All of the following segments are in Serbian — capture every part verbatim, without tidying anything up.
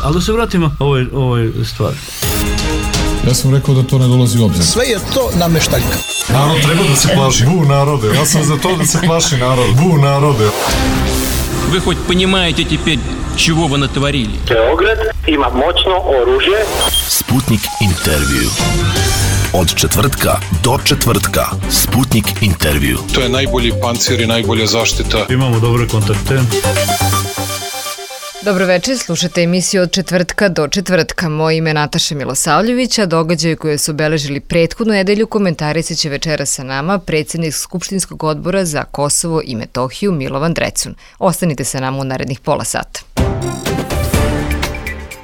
Ali da se vratimo ovoj, ovoj stvari. Ja sam rekao da to ne dolazi u obzir. Sve je to nameštaljka. Narod treba da se plaši. Bu narode. Ja sam za to da se plaši narod. Bu narode. Вы хоть понимаете теперь, чего вы натворили? Beograd ima moćno oružje. Sputnik intervju. Od četvrtka do četvrtka. Sputnik intervju. To je najbolji pancir i najbolja zaštita. Imamo dobre kontakte. Dobro večer, slušate emisiju od četvrtka do četvrtka. Moje ime je Nataša Milosavljević, a događaje koje su obeležili prethodnu nedelju komentarisat će večera sa nama predsjednik Skupštinskog odbora za Kosovo i Metohiju Milovan Drecun. Ostanite sa nama u narednih pola sata.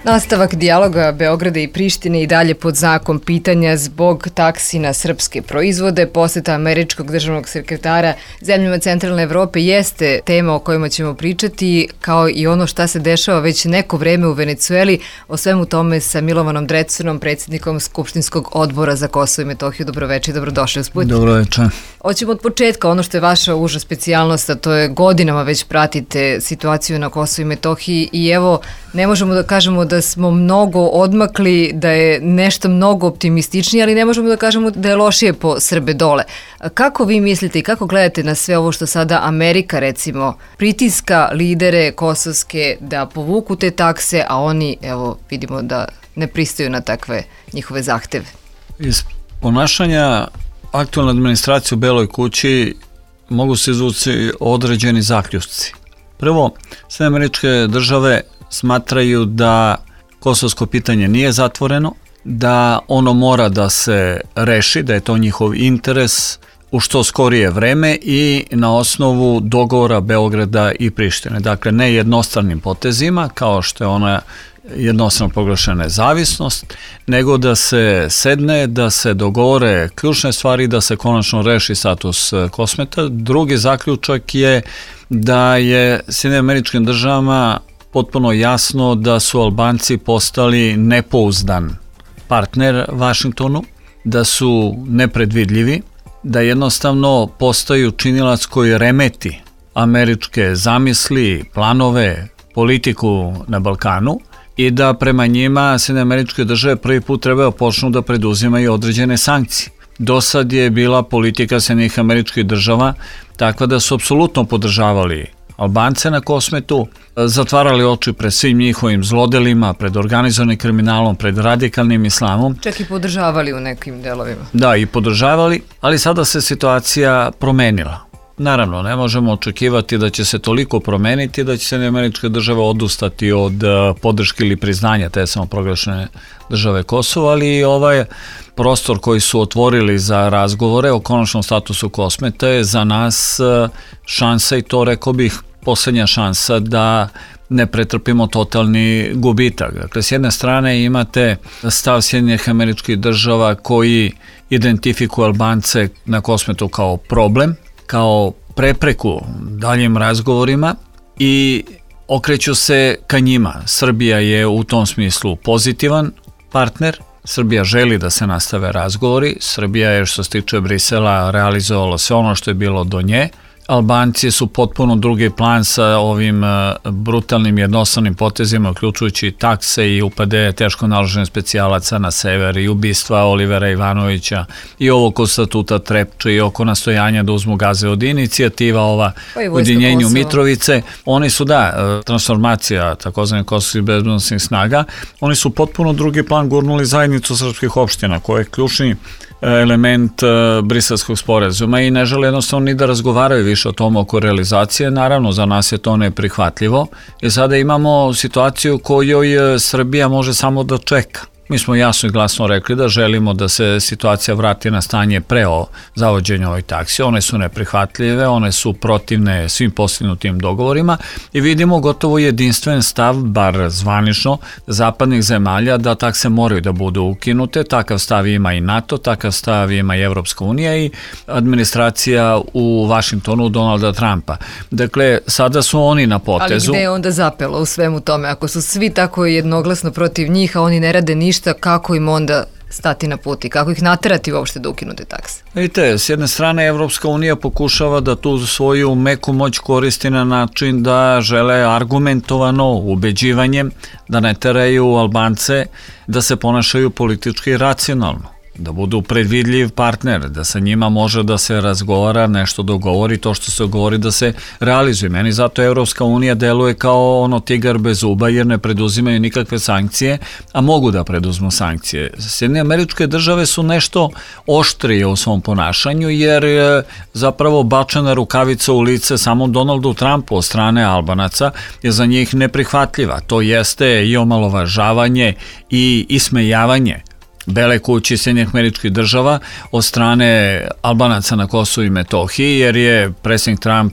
Nastavak dijaloga Beograda i Prištine i dalje pod znakom pitanja zbog taksi na srpske proizvode. Poseta američkog državnog sekretara zemljama Centralne Evrope jeste tema o kojima ćemo pričati, kao i ono šta se dešava već neko vreme u Venecueli. O svemu tome sa Milovanom Drecunom, predsjednikom Skupštinskog odbora za Kosovo i Metohiju. Dobroveče i dobrodošli u Sputnik. Dobroveče. Hoćemo od početka, ono što je vaša uža specijalnost, a to je godinama već pratite situaciju na Kosovu i Metohiji i evo, ne možemo da kažemo da smo mnogo odmakli, da je nešto mnogo optimističnije, ali ne možemo da kažemo da je lošije po Srbe dole. Kako vi mislite i kako gledate na sve ovo što sada Amerika, recimo, pritiska lidere kosovske da povuku te takse, a oni, evo, vidimo da ne pristaju na takve njihove zahteve? Iz ponašanja aktualne administracije u Beloj kući mogu se izvući određeni zaključci. Prvo, sve američke države smatraju da kosovsko pitanje nije zatvoreno, da ono mora da se reši, da je to njihov interes u što skorije vreme i na osnovu dogovora Beograda i Prištine. Dakle, ne jednostranim potezima, kao što je ona jednostrano proglašena nezavisnost, nego da se sedne, da se dogovore ključne stvari, da se konačno reši status Kosmeta. Drugi zaključak je da je Sjedinjenim Američkim Državama potpuno jasno da su Albanci postali nepouzdan partner Vašingtonu, da su nepredvidljivi, da jednostavno postaju činilac koji remeti američke zamisli, planove, politiku na Balkanu i da prema njima Sjedinjene Američke Države prvi put treba počnu da preduzimaju određene sankcije. Do sad je bila politika Sjedinjenih Američkih Država takva da su apsolutno podržavali Albance na Kosmetu, zatvarali oči pred svim njihovim zlodelima, pred organizovanim kriminalom, pred radikalnim islamom. Čak i podržavali u nekim delovima. Da, i podržavali, ali sada se situacija promenila. Naravno, ne možemo očekivati da će se toliko promeniti da će se Američke države odustati od podrške ili priznanja te samoproglašene države Kosova, ali i ovaj prostor koji su otvorili za razgovore o konačnom statusu Kosmeta je za nas šansa, i to rekao bih posljednja šansa, da ne pretrpimo totalni gubitak. Dakle, s jedne strane imate stav Sjedinjenih Američkih Država koji identifikuje Albance na Kosmetu kao problem, kao prepreku daljim razgovorima i okreću se ka njima. Srbija je u tom smislu pozitivan partner. Srbija želi da se nastave razgovori. Srbija je, što se tiče Brisela, realizovala sve ono što je bilo do nje. Albanci su potpuno drugi plan sa ovim brutalnim jednostavnim potezima, uključujući takse i upade teško naloženih specijalaca na sever i ubistva Olivera Ivanovića i ovo oko statuta Trepče i oko nastojanja da uzmu gaze od inicijativa ova ujedinjenju Mitrovice. Oni su, da, transformacija takozvanih kosovskih bezbednosnih snaga, oni su potpuno drugi plan gurnuli zajednicu srpskih opština, koja je ključni element Briselskog sporazuma i ne žele jednostavno ni da razgovaraju više o tom oko realizacije. Naravno, za nas je to neprihvatljivo i sada imamo situaciju u kojoj Srbija može samo da čeka. Mi smo jasno i glasno rekli da želimo da se situacija vrati na stanje pre zavođenja ovoj taksi. One su neprihvatljive, one su protivne svim postignutim dogovorima i vidimo gotovo jedinstven stav, bar zvanično, zapadnih zemalja da takse moraju da budu ukinute. Takav stav ima i NATO, takav stav ima i Evropska unija i administracija u Vašingtonu Donalda Trumpa. Dakle, sada su oni na potezu. Ali gde je onda zapelo u svemu tome? Ako su svi tako jednoglasno protiv njih, a oni ne rade ništa, kako im onda stati na put i kako ih naterati uopšte da ukinu te takse? Vidite, s jedne strane Evropska unija pokušava da tu svoju meku moć koristi na način da žele argumentovano, ubeđivanjem, da ne teraju Albance da se ponašaju politički racionalno, da budu predvidljiv partner, da sa njima može da se razgovara, nešto dogovori, to što se govori da se realizuje. Meni zato Evropska unija deluje kao ono tigar bez zuba jer ne preduzimaju nikakve sankcije, a mogu da preduzmu sankcije. Sjedinjene Američke Države su nešto oštrije u svom ponašanju jer je zapravo bačena rukavica u lice samom Donaldu Trumpu od strane Albanaca je za njih neprihvatljiva. To jeste i omalovažavanje i ismejavanje Bele kući Sjedinjenih Američkih Država od strane Albanaca na Kosovu i Metohiji, jer je predsjednik Trump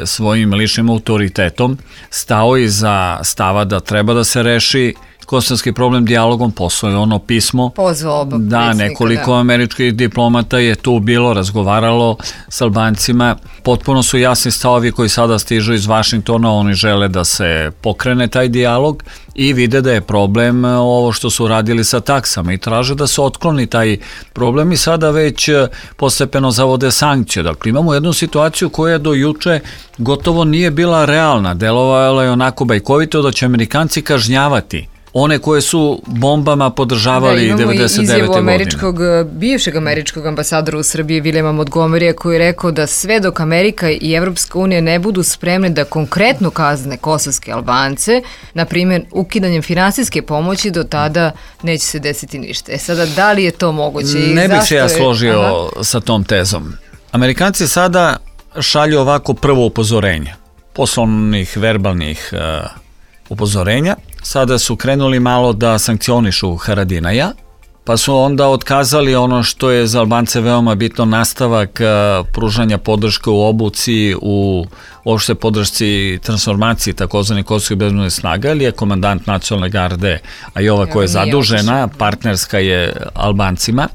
svojim ličnim autoritetom stao iza stava da treba da se reši kosovski problem dijalogom. Poslao je ono pismo. Pozvao oba Da, nekoliko da. američkih diplomata je tu bilo, razgovaralo s Albancima. Potpuno su jasni stavovi koji sada stižu iz Vašingtona, oni žele da se pokrene taj dijalog i vide da je problem ovo što su radili sa taksama i traže da se otkloni taj problem i sada već postepeno zavode sankcije. Dakle, imamo jednu situaciju koja do juče gotovo nije bila realna, delovala je onako bajkovito da će Amerikanci kažnjavati one koje su bombama podržavali da, devedeset devete izjavu godine. američkog, bivšeg američkog ambasadora u Srbiji Viljama Montgomerya koji je rekao da sve dok Amerika i Evropska unija ne budu spremne da konkretno kazne kosovske Albance, na primjer ukidanjem finansijske pomoći, do tada neće se desiti ništa. E sada, da li je to moguće? I ne bih se ja je... složio Aha. sa tom tezom. Amerikanci sada šalju ovako prvo upozorenje, poslovnih, verbalnih uh, upozorenja. Sada su krenuli malo da sankcionišu Haradinaja, pa su onda otkazali ono što je za Albance veoma bitno, nastavak pružanja podrške u obuci, u uopšte podršci transformaciji takozvani kosovskih bezbednosnih snaga, ili je komandant nacionalne garde, a i ova koja je zadužena, partnerska je Albancima,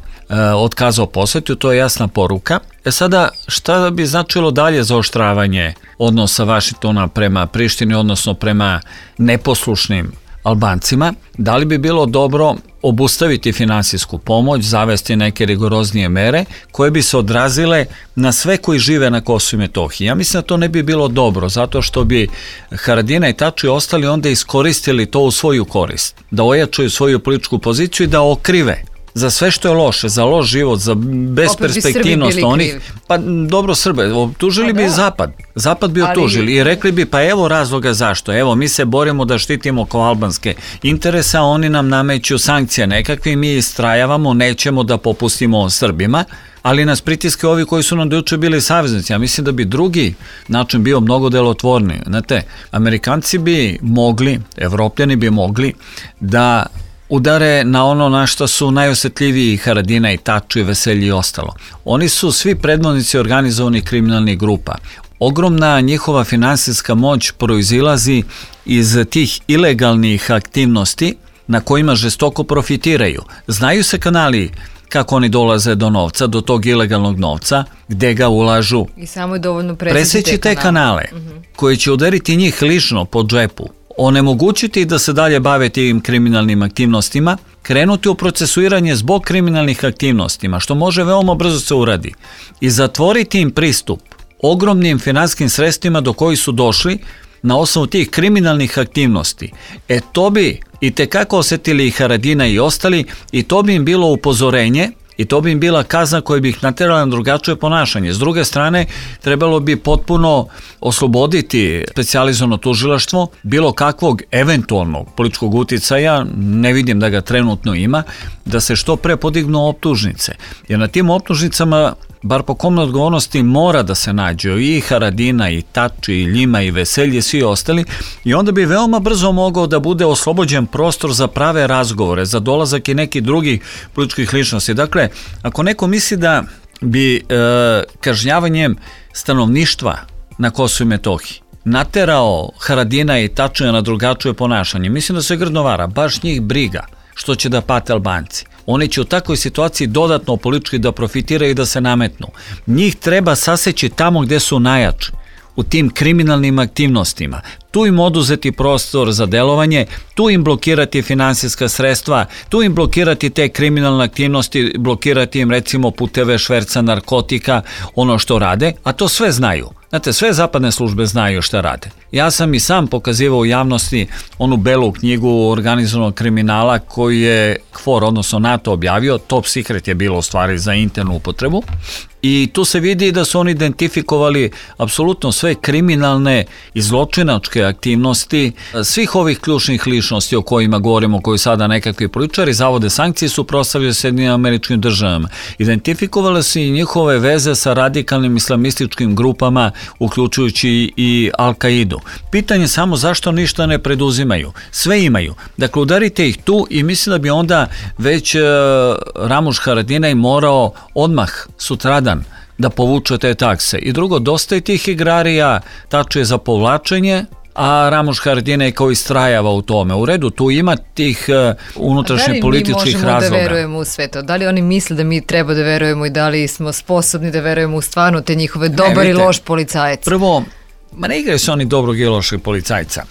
otkazao posetu, to je jasna poruka. E sada, šta bi značilo dalje zaoštravanje odnosa Vašingtona prema Prištini, odnosno prema neposlušnim Albancima? Da li bi bilo dobro obustaviti finansijsku pomoć, zavesti neke rigoroznije mere koje bi se odrazile na sve koji žive na Kosovu i Metohiji? Ja mislim da to ne bi bilo dobro, zato što bi Haradinaj i Tači ostali onda iskoristili to u svoju korist, da ojačaju svoju političku poziciju i da okrive za sve što je loše, za loš život, za besperspektivnost onih. Pa dobro, Srbe, optužili bi Zapad. Zapad bi optužili i rekli bi, pa evo razloga zašto. Evo, mi se borimo da štitimo kao albanske interese, a oni nam nameću sankcije nekakve i mi istrajavamo, nećemo da popustimo Srbima, ali nas pritiske ovi koji su nam dojuče bili saveznici. Ja mislim da bi drugi način bio mnogo delotvorniji. Znate, Amerikanci bi mogli, Evropljani bi mogli da udare na ono na što su najosjetljiviji Haradinaj i Tači, Veselji i ostalo. Oni su svi predvodnici organizovanih kriminalnih grupa. Ogromna njihova finansijska moć proizilazi iz tih ilegalnih aktivnosti na kojima žestoko profitiraju. Znaju se kanali kako oni dolaze do novca, do tog ilegalnog novca, gde ga ulažu. I samo je dovoljno preseći te kanale, uh-huh. koji će udariti njih lično po džepu, onemogućiti da se dalje bave tim kriminalnim aktivnostima, krenuti u procesuiranje zbog kriminalnih aktivnostima, što može veoma brzo se uradi, i zatvoriti im pristup ogromnim finansijskim sredstvima do kojih su došli na osnovu tih kriminalnih aktivnosti. E to bi i tekako osjetili i Haradinaj i ostali, i to bi im bilo upozorenje i to bi im bila kazna koja bi ih naterala na drugačije ponašanje. S druge strane, trebalo bi potpuno osloboditi specijalizovano tužilaštvo bilo kakvog eventualnog političkog uticaja, ne vidim da ga trenutno ima, da se što pre podignu optužnice. Jer na tim optužnicama, bar po komnoj odgovornosti, mora da se nađu i Haradina, i Tači, i Ljima, i Veselje, svi ostali, i onda bi veoma brzo mogao da bude oslobođen prostor za prave razgovore, za dolazak i nekih drugih političkih ličnosti. Dakle, ako neko misli da bi e, kažnjavanjem stanovništva na Kosovu i Metohiji naterao Haradina i Tačija na drugačije ponašanje, mislim da se grdno vara, baš njih briga što će da pate Albanci. Oni će u takvoj situaciji dodatno politički da profitiraju i da se nametnu. Njih treba saseći tamo gde su najjači, u tim kriminalnim aktivnostima, tu im oduzeti prostor za delovanje, tu im blokirati finansijska sredstva, tu im blokirati te kriminalne aktivnosti, blokirati im recimo puteve šverca narkotika, ono što rade, a to sve znaju. Znate, sve zapadne službe znaju šta rade. Ja sam i sam pokazivao u javnosti onu belu knjigu organizovanog kriminala koju je K F O R, odnosno NATO, objavio. Top secret je bilo u stvari za internu upotrebu. I tu se vidi da su oni identifikovali apsolutno sve kriminalne i zločinačke aktivnosti svih ovih ključnih ličnosti o kojima govorimo, koji sada nekakvi političari zavode sankcije, su prostavljaju Sjedinjenim Američkim Državama. Identifikovale su i njihove veze sa radikalnim islamističkim grupama, uključujući i Al-Kaidu. Pitanje je samo zašto ništa ne preduzimaju. Sve imaju. Dakle, udarite ih tu i mislim da bi onda već uh, Ramuš Haradinaj morao odmah sutradan da povuče te takse. I drugo, dosta je tih igrarija, tačije za povlačenje, a Ramuš Haradinaj kao istrajava u tome. U redu, tu ima tih uh, unutrašnjih političkih razloga. Da li mi možemo da verujemo u sve to? Da li oni misle da mi treba da verujemo i da li smo sposobni da verujemo u stvarno te njihove dobar i loš policajac? Prvo, ma ne igraju se oni dobrog i lošeg policajca.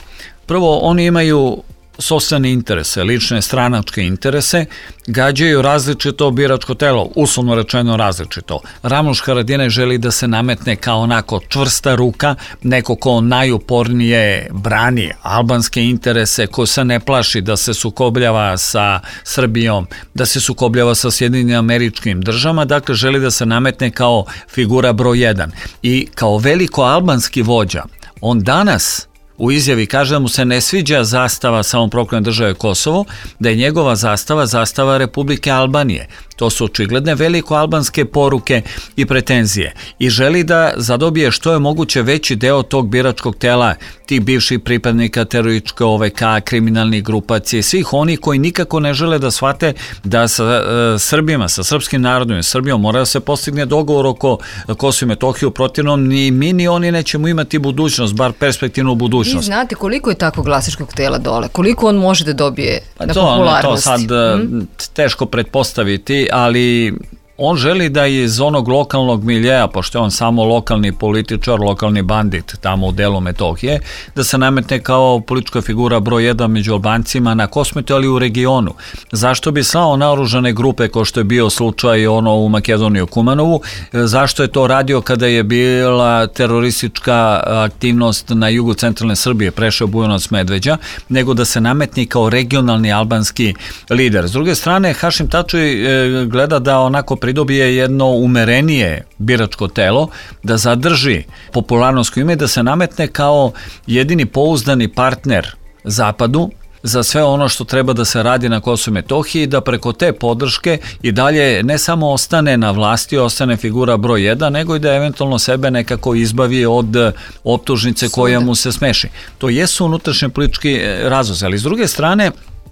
Prvo, oni imaju sopstvene interese, lične stranačke interese, gađaju različito biračko telo, uslovno rečeno različito. Ramuš Haradinaj želi da se nametne kao onako čvrsta ruka, neko ko najupornije brani albanske interese, ko se ne plaši da se sukobljava sa Srbijom, da se sukobljava sa Sjedinjenim Američkim Državama, dakle želi da se nametne kao figura broj jedan. I kao veliko albanski vođa, on danas u izjavi kaže da mu se ne sviđa zastava samoproklamljene države Kosovo, da je njegova zastava zastava Republike Albanije. To su očigledne veliko albanske poruke i pretenzije. I želi da zadobije što je moguće veći deo tog biračkog tela, tih bivših pripadnika terorističke O V K, kriminalnih grupacije, svih oni koji nikako ne žele da shvate da sa e, Srbima, sa srpskim narodom i Srbijom mora da se postigne dogovor oko Kosova i Metohije, u protivnom ni mi ni oni nećemo imati budućnost, bar perspektivnu budućnost. Vi znate koliko je tako glasačkog tela dole? Koliko on može da dobije pa na to, popularnosti? To sad hmm? teško pretpostaviti, ali on želi da iz onog lokalnog miljeja, pošto je on samo lokalni političar, lokalni bandit tamo u delu Metohije, da se nametne kao politička figura broj jedan među Albancima na Kosmetu, ali u regionu. Zašto bi slao naoružane grupe, kao što je bio slučaj ono u Makedoniji u Kumanovu? Zašto je to radio kada je bila teroristička aktivnost na jugu centralne Srbije, prešao Bujanovac, Medveđa, nego da se nametni kao regionalni albanski lider. S druge strane, Hašim Tači gleda da onako pridobije jedno umerenije biračko telo, da zadrži popularnost koju ima i da se nametne kao jedini pouzdani partner Zapadu za sve ono što treba da se radi na Kosovu i Metohiji, da preko te podrške i dalje ne samo ostane na vlasti, ostane figura broj jedan, nego i da eventualno sebe nekako izbavi od optužnice koja mu se smeši. To jesu unutrašnji politički razlozi, ali s druge strane,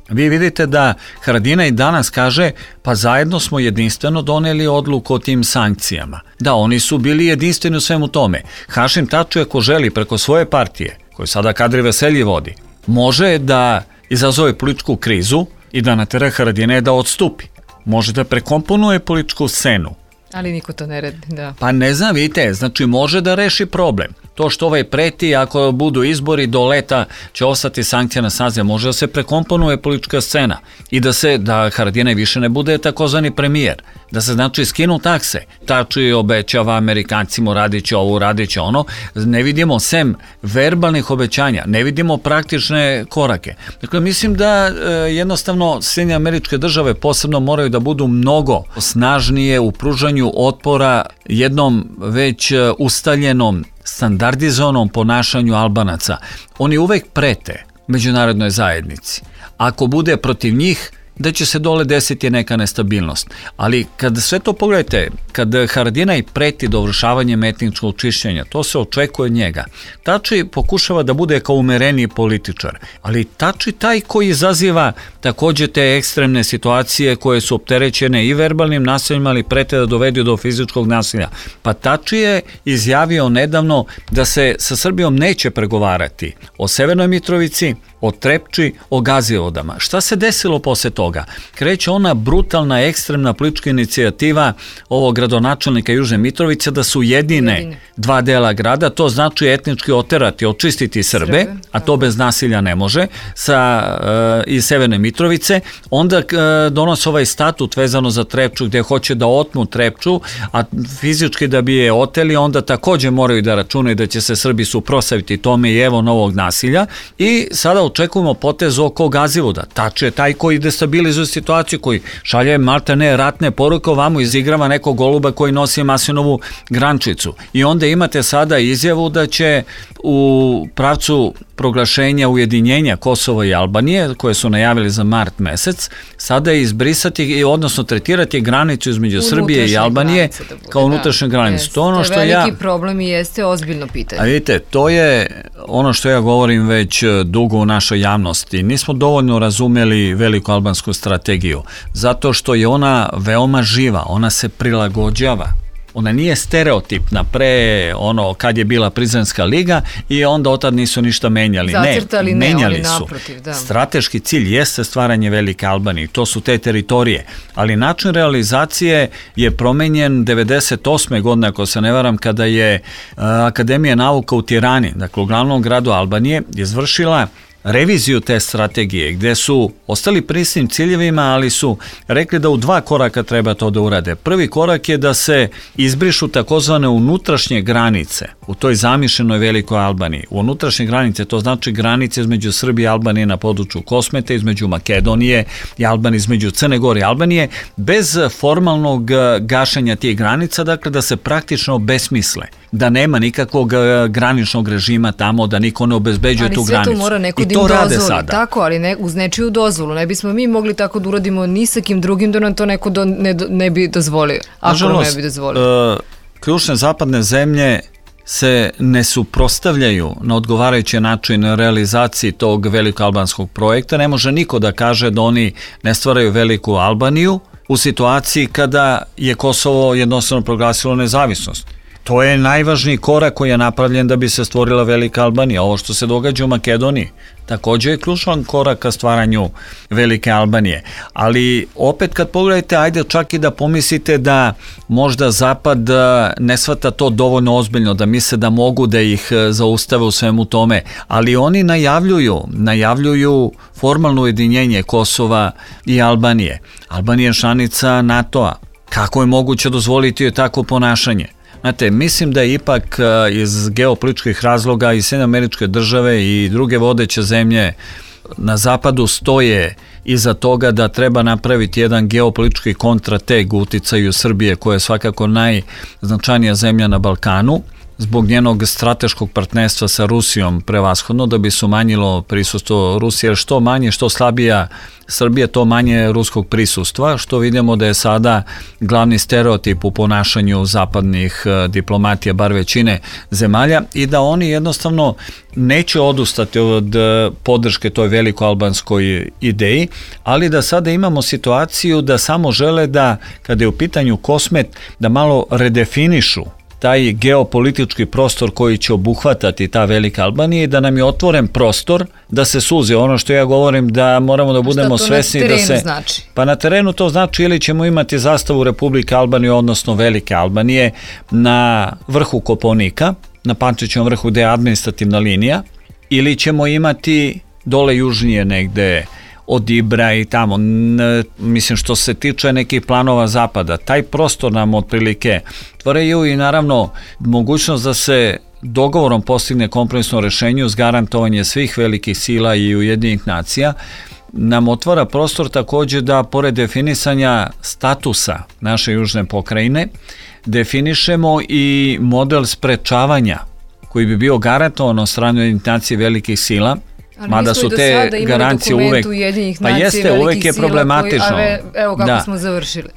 vi vidite da Haradinaj danas kaže, pa zajedno smo jedinstveno doneli odluku o tim sankcijama. Da, oni su bili jedinstveni u svemu tome. Hašim Tači, ako želi preko svoje partije, koju sada Kadri Veselji vodi, može da izazove političku krizu i da natera Haradinaja da odstupi. Može da prekomponuje političku scenu. Ali niko to ne radi, da. Pa ne znam, vidite, znači može da reši problem. To što ovaj preti, ako budu izbori do leta će ostati sankcija na snazi, može da se prekomponuje politička scena i da se, da Haradinaj više ne bude takozvani premijer, da se znači skinu takse. Tači obećava Amerikancima, radit će ovo, radit će ono. Ne vidimo sem verbalnih obećanja, ne vidimo praktične korake. Dakle, mislim da e, jednostavno Sjedinjene Američke Države posebno moraju da budu mnogo snažnije u pružanju otpora jednom već ustaljenom standardizovanom ponašanju Albanaca. Oni uvek prete međunarodnoj zajednici. Ako bude protiv njih, da će se dole desiti neka nestabilnost. Ali kad sve to pogledajte, kad Haradinaj preti dovršavanjem etničkog čišćenja, to se očekuje od njega. Tači pokušava da bude kao umereniji političar, ali Tači taj koji izaziva takođe te ekstremne situacije koje su opterećene i verbalnim nasiljima, ali prete da dovedu do fizičkog nasilja. Pa Tači je izjavio nedavno da se sa Srbijom neće pregovarati o Severnoj Mitrovici, o Trepči, o Gazivodama. Šta se desilo posle toga? Kreće ona brutalna, ekstremna politička inicijativa ovog gradonačelnika Južne Mitrovice da su jedine, jedine. dva dela grada, to znači etnički oterati, očistiti Srbe, Srbe a to bez nasilja ne može, sa, uh, iz Severne Mitrovice. Onda uh, donose ovaj statut vezano za Trepču gde hoće da otmu Trepču, a fizički da bi je oteli, onda takođe moraju da računaju da će se Srbi suprotstaviti tome i evo novog nasilja. I sada očekujemo potez oko Gazivoda. Tač je taj koji destabilizuje situaciju, koji šalje malte ne ratne poruke, ovamo izigrava nekog goluba koji nosi maslinovu grančicu. I onda imate sada izjavu da će u pravcu proglašenja ujedinjenja Kosova i Albanije, koje su najavili za mart mesec, sada izbrisati, odnosno tretirati granicu između Srbije i Albanije kao unutrašnju granicu. To je ono što ja... veliki problem i jeste ozbiljno pitanje. A vidite, to je ono što ja govorim već dugo u našoj javnosti. Nismo dovoljno razumeli veliku albansku strategiju, zato što je ona veoma živa, ona se prilagođava. Ona nije stereotipna pre ono kad je bila Prizrenska liga i onda otad nisu ništa menjali. Zacrtali, ne, menjali ne, su. Naprotiv, da. Strateški cilj jeste stvaranje Velike Albanije, to su te teritorije, ali način realizacije je promenjen devedeset osme godine, ako se ne varam, kada je uh, Akademija nauka u Tirani, dakle u glavnom gradu Albanije, izvršila reviziju te strategije, gde su ostali pri istim ciljevima, ali su rekli da u dva koraka treba to da urade. Prvi korak je da se izbrišu takozvane unutrašnje granice u toj zamišljenoj Velikoj Albaniji. U unutrašnje granice, to znači granice između Srbije i Albanije na području Kosmeta, između Makedonije i Albanije, između Crne Gore i Albanije, bez formalnog gašenja tih granica, dakle da se praktično besmisle, da nema nikakvog graničnog režima tamo, da niko ne obezbeđuje tu granicu. Ali sve to mora neko da im dozvoli, tako, ali ne, uz nečiju dozvolu. Ne bismo mi mogli tako da uradimo ni sa kim drugim da nam to neko do, ne, ne bi dozvolio. Ako nam ne bi dozvolio. Uh, ključne zapadne zemlje se ne suprotstavljaju na odgovarajući način realizaciji tog veliko-albanskog projekta. Ne može niko da kaže da oni ne stvaraju Veliku Albaniju u situaciji kada je Kosovo jednostavno proglasilo nezavisnost. To je najvažniji korak koji je napravljen da bi se stvorila Velika Albanija. Ovo što se događa u Makedoniji takođe je ključan korak ka stvaranju Velike Albanije. Ali opet kad pogledajte, ajde čak i da pomislite da možda Zapad ne shvata to dovoljno ozbiljno, da misle da mogu da ih zaustave u svemu tome, ali oni najavljuju, najavljuju formalno ujedinjenje Kosova i Albanije. Albanija je članica NATO-a. Kako je moguće dozvoliti joj takvo ponašanje? Znate, mislim da je ipak iz geopolitičkih razloga i Sjedinjene Američke Države i druge vodeće zemlje na zapadu stoje iza toga da treba napraviti jedan geopolitički kontrateg u uticaju Srbije, koja je svakako najznačajnija zemlja na Balkanu, zbog njenog strateškog partnerstva sa Rusijom prevashodno, da bi se umanjilo prisustvo Rusije, jer što manje, što slabija Srbija, to manje ruskog prisustva, što vidimo da je sada glavni stereotip u ponašanju zapadnih diplomatija, bar većine zemalja, i da oni jednostavno neće odustati od podrške toj veliko-albanskoj ideji, ali da sada imamo situaciju da samo žele da, kada je u pitanju Kosmet, da malo redefinišu taj geopolitički prostor koji će obuhvatati ta Velika Albanija i da nam je otvoren prostor da se suze. Ono što ja govorim, da moramo da budemo svesni da se... Znači? Pa na terenu to znači ili ćemo imati zastavu Republike Albanije, odnosno Velike Albanije, na vrhu Kopaonika, na Pančićevom vrhu gde je administrativna linija, ili ćemo imati dole južnije negde od Ibra i tamo. Mislim, što se tiče nekih planova zapada, taj prostor nam otprilike tvoraju i naravno mogućnost da se dogovorom postigne kompromisno rešenje uz garantovanje svih velikih sila i Ujedinjenih nacija, nam otvara prostor takođe da pored definisanja statusa naše južne pokrajine definišemo i model sprečavanja koji bi bio garantovan od strane Ujedinjenih nacija velikih sila. Ali mada su te garancije uvek, pa jeste, uvek je problematično. Koji, ave, evo kako da. smo završili.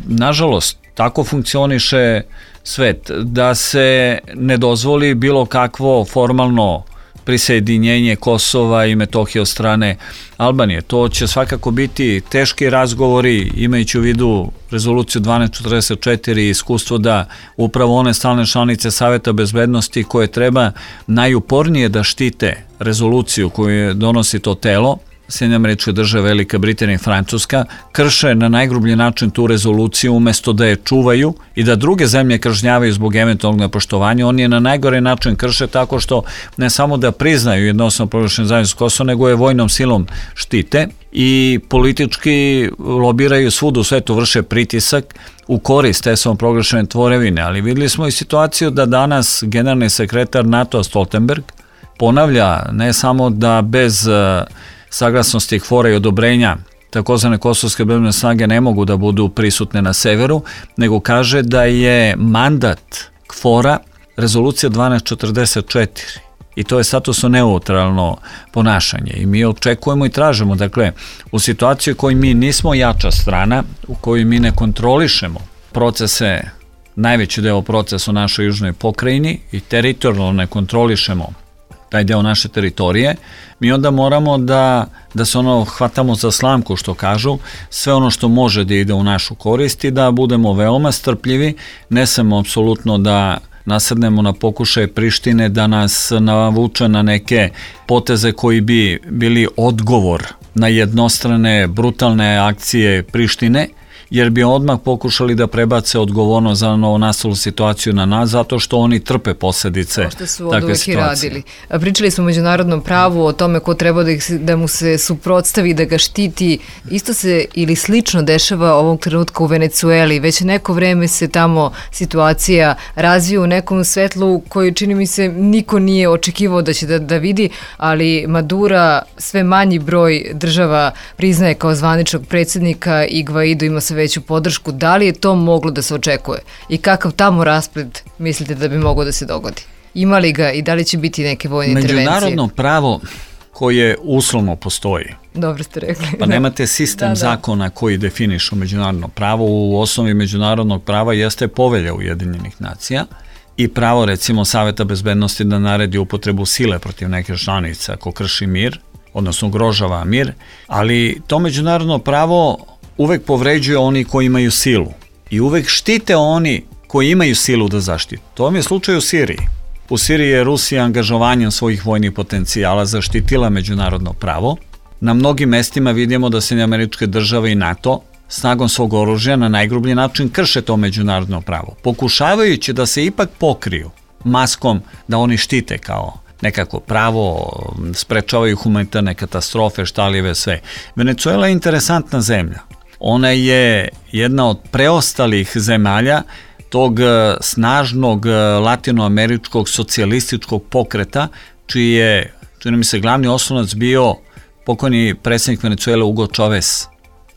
Nažalost, tako funkcioniše svet, da se ne dozvoli bilo kakvo formalno prisjedinjenje Kosova i Metohije od strane Albanije. To će svakako biti teški razgovori, imajući u vidu rezoluciju dvanaest četrdeset četiri i iskustvo da upravo one stalne članice Saveta bezbednosti koje treba najupornije da štite rezoluciju koju donosi to telo, Sjedinjene Američke Države, Velika Britanija i Francuska, krše na najgrublji način tu rezoluciju umesto da je čuvaju i da druge zemlje kažnjavaju zbog eventualnog nepoštovanja. Oni je na najgore način krše tako što ne samo da priznaju jednostavno proglašenu zajednicu Kosovo, nego je vojnom silom štite i politički lobiraju svuda u svetu, vrše pritisak u korist te samo proglašene tvorevine. Ali videli smo i situaciju da danas generalni sekretar NATO Stoltenberg ponavlja ne samo da bez saglasnosti KFOR-a i odobrenja takozvane kosovske bezbednosne snage ne mogu da budu prisutne na severu, nego kaže da je mandat KFOR-a rezolucija dvanaest četrdeset četiri i to je statusno neutralno ponašanje i mi očekujemo i tražimo, dakle, u situaciji u kojoj mi nismo jača strana, u kojoj mi ne kontrolišemo procese, najveći deo procesa u našoj južnoj pokrajini i teritorijalno ne kontrolišemo taj deo naše teritorije, mi onda moramo da, da se ono hvatamo za slamku, što kažu, sve ono što može da ide u našu korist i da budemo veoma strpljivi, ne samo apsolutno da nasednemo na pokušaje Prištine da nas navuče na neke poteze koji bi bili odgovor na jednostrane, brutalne akcije Prištine, jer bi odmah pokušali da prebace odgovornost za novonastalu situaciju na nas, zato što oni trpe posljedice takve situacije. Što su od uvek i radili. Pričali smo o međunarodnom pravu, o tome ko treba da, ih, da mu se suprotstavi, da ga štiti. Isto se ili slično dešava ovog trenutka u Venecueli. Već neko vreme se tamo situacija razvija u nekom svetlu koji, čini mi se, niko nije očekivao da će da, da vidi, ali Madura sve manji broj država priznaje kao zvaničnog predsjednika i Gvaido ima sve veću podršku. Da li je to moglo da se očekuje? I kakav tamo raspred mislite da bi moglo da se dogodi? Ima li ga i da li će biti neke vojne intervencije? Međunarodno pravo koje uslovno postoji. Dobro ste rekli. Pa nemate sistem da, da. zakona koji definišu međunarodno pravo. U osnovi međunarodnog prava jeste Povelja Ujedinjenih nacija i pravo, recimo, Saveta bezbednosti da naredi upotrebu sile protiv neke članice ako krši mir, odnosno ugrožava mir, ali to međunarodno pravo uvek povređuje oni koji imaju silu i uvek štite oni koji imaju silu da zaštite. To vam je slučaj u Siriji. U Siriji je Rusija angažovanjem svojih vojnih potencijala zaštitila međunarodno pravo. Na mnogim mestima vidimo da Sjedinjene Američke Države i NATO snagom svog oružja na najgrublji način krše to međunarodno pravo, pokušavajući da se ipak pokriju maskom da oni štite kao nekako pravo, sprečavaju humanitarne katastrofe, štaljive, sve. Venecuela je interesantna zemlja. Ona je jedna od preostalih zemalja tog snažnog latinoameričkog socijalističkog pokreta, čiji je, čini mi se, glavni oslonac bio pokojni predsjednik Venecuele Hugo Chavez.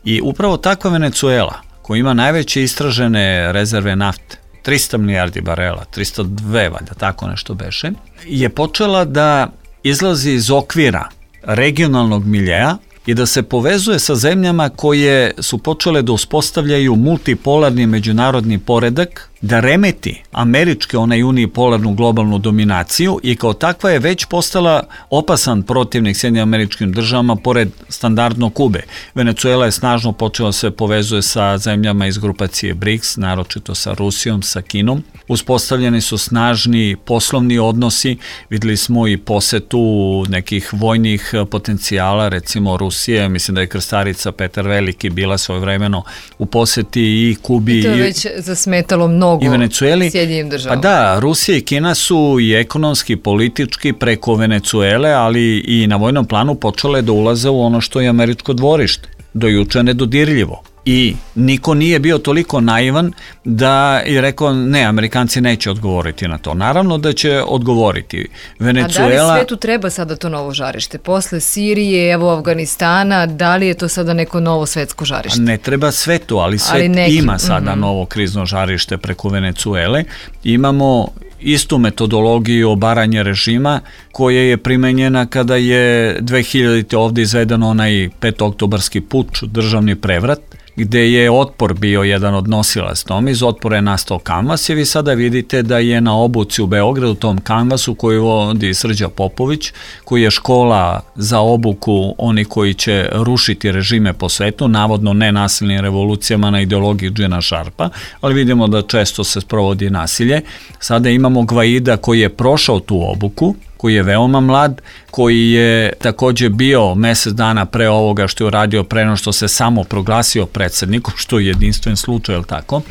I upravo takva Venecuela, koja ima najveće istražene rezerve nafte, trista milijardi barela, trista dva, valjda tako nešto beše, je počela da izlazi iz okvira regionalnog miljeja i da se povezuje sa zemljama koje su počele da uspostavljaju multipolarni međunarodni poredak, da remeti američke, onaj unipolarnu globalnu dominaciju i kao takva je već postala opasan protivnik Sjedinjenim Američkim Državama pored standardnog Kube. Venecuela je snažno počela se povezuje sa zemljama iz grupacije BRICS, naročito sa Rusijom, sa Kinom. Uspostavljeni su snažni poslovni odnosi, videli smo i posetu nekih vojnih potencijala, recimo Rusije, mislim da je krstarica Petar Veliki bila svojevremeno u poseti i Kubi. I to je već zasmetalo mnogo i Venecueli. Sjedinjenim Državama. Pa da, Rusija i Kina su i ekonomski, politički preko Venecuele, ali i na vojnom planu počele da ulaze u ono što je američko dvorište, do juče nedodirljivo. I niko nije bio toliko naivan da je rekao ne, Amerikanci neće odgovoriti na to. Naravno da će odgovoriti. Venecuela... A da li svetu treba sada to novo žarište? Posle Sirije, evo Afganistana, da li je to sada neko novo svetsko žarište? Ne treba svetu, ali svet ali neki... ima sada mm-hmm. novo krizno žarište preko Venecuele. Imamo istu metodologiju obaranja režima koja je primenjena kada je dve hiljadite ovde izveden onaj petooktobarski puč, državni prevrat, gde je otpor bio jedan od nosilac tome, iz otpora je nastao kanvas i vi sada vidite da je na obuci u Beogradu, tom kanvasu koju vodi Srđa Popović, koji je škola za obuku oni koji će rušiti režime po svetu, navodno nenasilnim revolucijama na ideologiji Džina Šarpa, ali vidimo da često se sprovodi nasilje. Sada imamo Gvaida koji je prošao tu obuku, koji je veoma mlad, koji je takođe bio mesec dana pre ovoga što je uradio, pre no što se samo proglasio predsednikom, što je jedinstven slučaj, ili tako?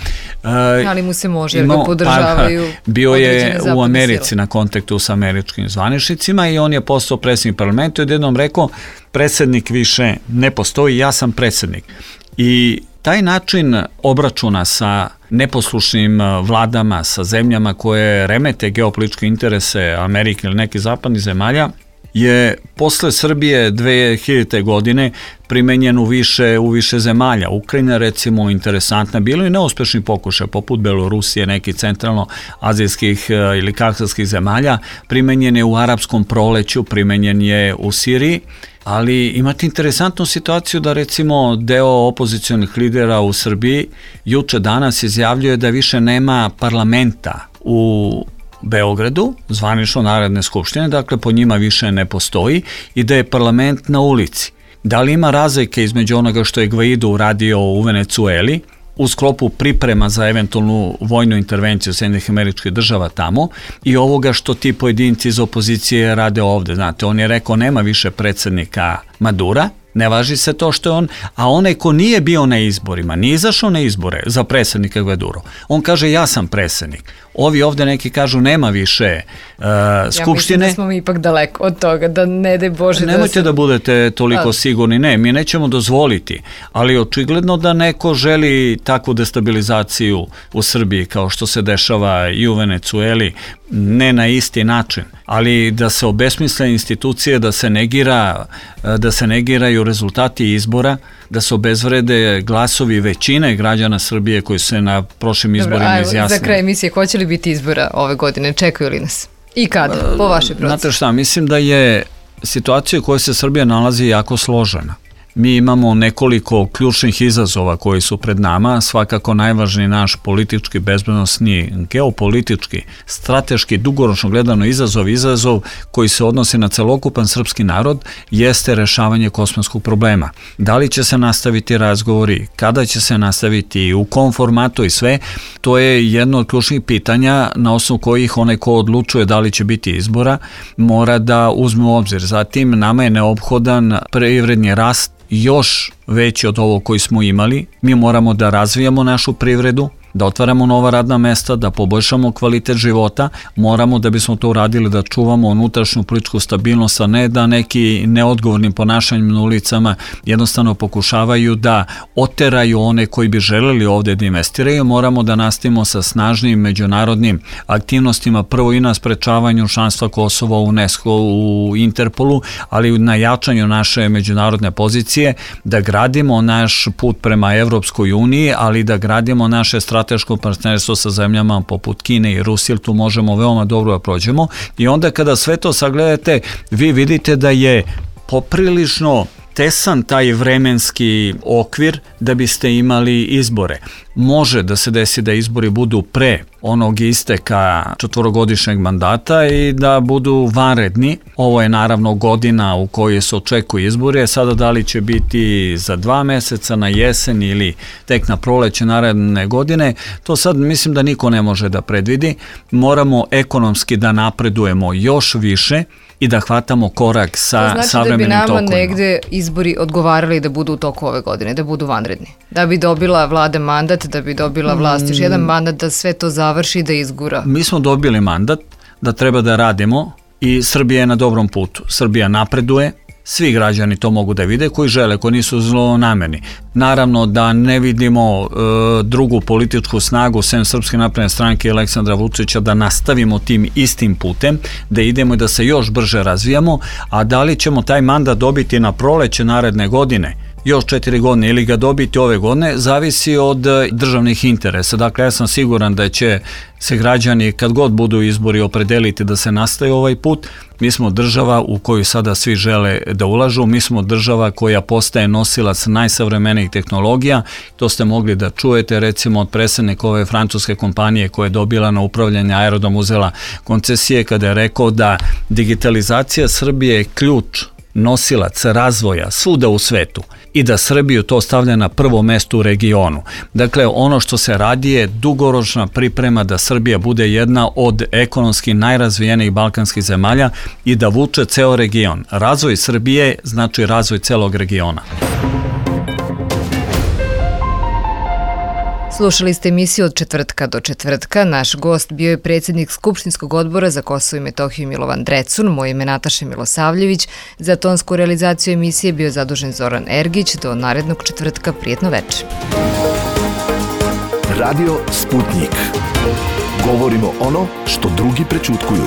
E, ali mu se može, jer ga podržavaju. Pa, bio je u Americi sila. Na kontaktu sa američkim zvaničnicima i on je postao predsednik parlamenta i odjednom rekao, predsednik više ne postoji, ja sam predsednik. I taj način obračuna sa neposlušnim vladama, sa zemljama koje remete geopolitičke interese Amerike ili nekih zapadnih zemalja, je posle Srbije dve hiljadite. godine primenjen u više, u više zemalja. Ukrajina, recimo, interesantna, bilo i neuspešni pokušaj, poput Belorusije, nekih centralno-azijskih ili kavkazskih zemalja, primenjen je u arapskom proleću, primenjen je u Siriji, ali imate interesantnu situaciju da, recimo, deo opozicionih lidera u Srbiji juče danas izjavljuje da više nema parlamenta u Beogradu, zvanično Narodne skupštine, dakle po njima više ne postoji i da je parlament na ulici. Da li ima razlike između onoga što je Gvaido uradio u Venecueli u sklopu priprema za eventualnu vojnu intervenciju Sjedinjenih Američkih Država tamo i ovoga što ti pojedinci iz opozicije rade ovde? Znate, on je rekao nema više predsednika Madura, ne važi se to što je on, a onaj ko nije bio na izborima, nije izašao na izbore za predsednika Gvaduro, on kaže ja sam predsednik. Ovi ovde neki kažu nema više uh, skupštine. Ja mislim da smo mi ipak daleko od toga, da ne daj Bože. Nemojte da, da se... budete toliko a... sigurni, ne, mi nećemo dozvoliti, ali očigledno da neko želi takvu destabilizaciju u Srbiji kao što se dešava i u Venecueli, ne na isti način, ali da se obesmisle institucije, da se negira, da se negiraju rezultati izbora, da se obezvrede glasovi većine građana Srbije koji se na prošlim izborima izjasnili. Za kraj emisije, hoće li biti izbora ove godine? Čekaju li nas? I kada? Po vašoj procesi? Znate šta, mislim da je situacija u kojoj se Srbija nalazi jako složena. Mi imamo nekoliko ključnih izazova koji su pred nama, svakako najvažniji naš politički, bezbednosni, geopolitički, strateški, dugoročno gledano izazov, izazov koji se odnosi na celokupan srpski narod, jeste rešavanje kosovskog problema. Da li će se nastaviti razgovori, kada će se nastaviti, u kom formatu i sve, to je jedno od ključnih pitanja na osnovu kojih onaj ko odlučuje da li će biti izbora, mora da uzme u obzir. Zatim, nama je neophodan privredni rast još veći od ovo koji smo imali. Mi moramo da razvijamo našu privredu, da otvaramo nova radna mesta, da poboljšamo kvalitet života, moramo da bismo to uradili da čuvamo unutrašnju političku stabilnost, a ne da neki neodgovornim ponašanjem na ulicama jednostavno pokušavaju da oteraju one koji bi želeli ovde da investiraju. Moramo da nastavimo sa snažnim međunarodnim aktivnostima, prvo i na sprečavanju članstva Kosova u UNESCO, u Interpolu, ali na jačanju naše međunarodne pozicije, da gradimo naš put prema Evropskoj uniji, ali da gradimo naše strategije strateško partnerstvo sa zemljama poput Kine i Rusije, tu možemo veoma dobro da prođemo i onda kada sve to sagledate, vi vidite da je poprilično tesan taj vremenski okvir da biste imali izbore. Može da se desi da izbori budu pre onog isteka četvorogodišnjeg mandata i da budu vanredni. Ovo je naravno godina u kojoj se očekuju izbori, sada da li će biti za dva meseca, na jesen ili tek na proleće naredne godine, to sad mislim da niko ne može da predvidi. Moramo ekonomski da napredujemo još više i da hvatamo korak sa savremenim tokovima. To znači da bi nama negde izbori odgovarali da budu u toku ove godine, da budu vanredni. Da bi dobila vlada mandat, da bi dobila vlast još jedan mandat, da sve to završi i da izgura. Mi smo dobili mandat da treba da radimo i Srbija je na dobrom putu. Srbija napreduje, svi građani to mogu da vide koji žele, koji nisu zlonamerni. Naravno da ne vidimo e, drugu političku snagu sem Srpske napredne stranke i Aleksandra Vučića da nastavimo tim istim putem, da idemo i da se još brže razvijamo, a da li ćemo taj mandat dobiti na proleće naredne godine, još četiri godine ili ga dobiti ove godine, zavisi od državnih interesa. Dakle, ja sam siguran da će se građani, kad god budu izbori, opredeliti da se nastaje ovaj put. Mi smo država u koju sada svi žele da ulažu, mi smo država koja postaje nosilac najsavremenijih tehnologija, to ste mogli da čujete recimo od predsednika ove francuske kompanije koja je dobila na upravljanje aerodrom, uzela koncesije, kada je rekao da digitalizacija Srbije je ključ nosilac razvoja svuda u svetu i da Srbiju to stavlja na prvo mesto u regionu. Dakle, ono što se radi je dugoročna priprema da Srbija bude jedna od ekonomski najrazvijenijih balkanskih zemalja i da vuče ceo region. Razvoj Srbije znači razvoj celog regiona. Slušali ste emisiju Od četvrtka do četvrtka. Naš gost bio je predsjednik Skupštinskog odbora za Kosovo i Metohiju Milovan Drecun. Moje ime Nataša Milosavljević. Za tonsku realizaciju emisije bio je zadužen Zoran Ergić. Do narednog četvrtka, prijetno večer. Radio Sputnik. Govorimo ono što drugi prećutkuju.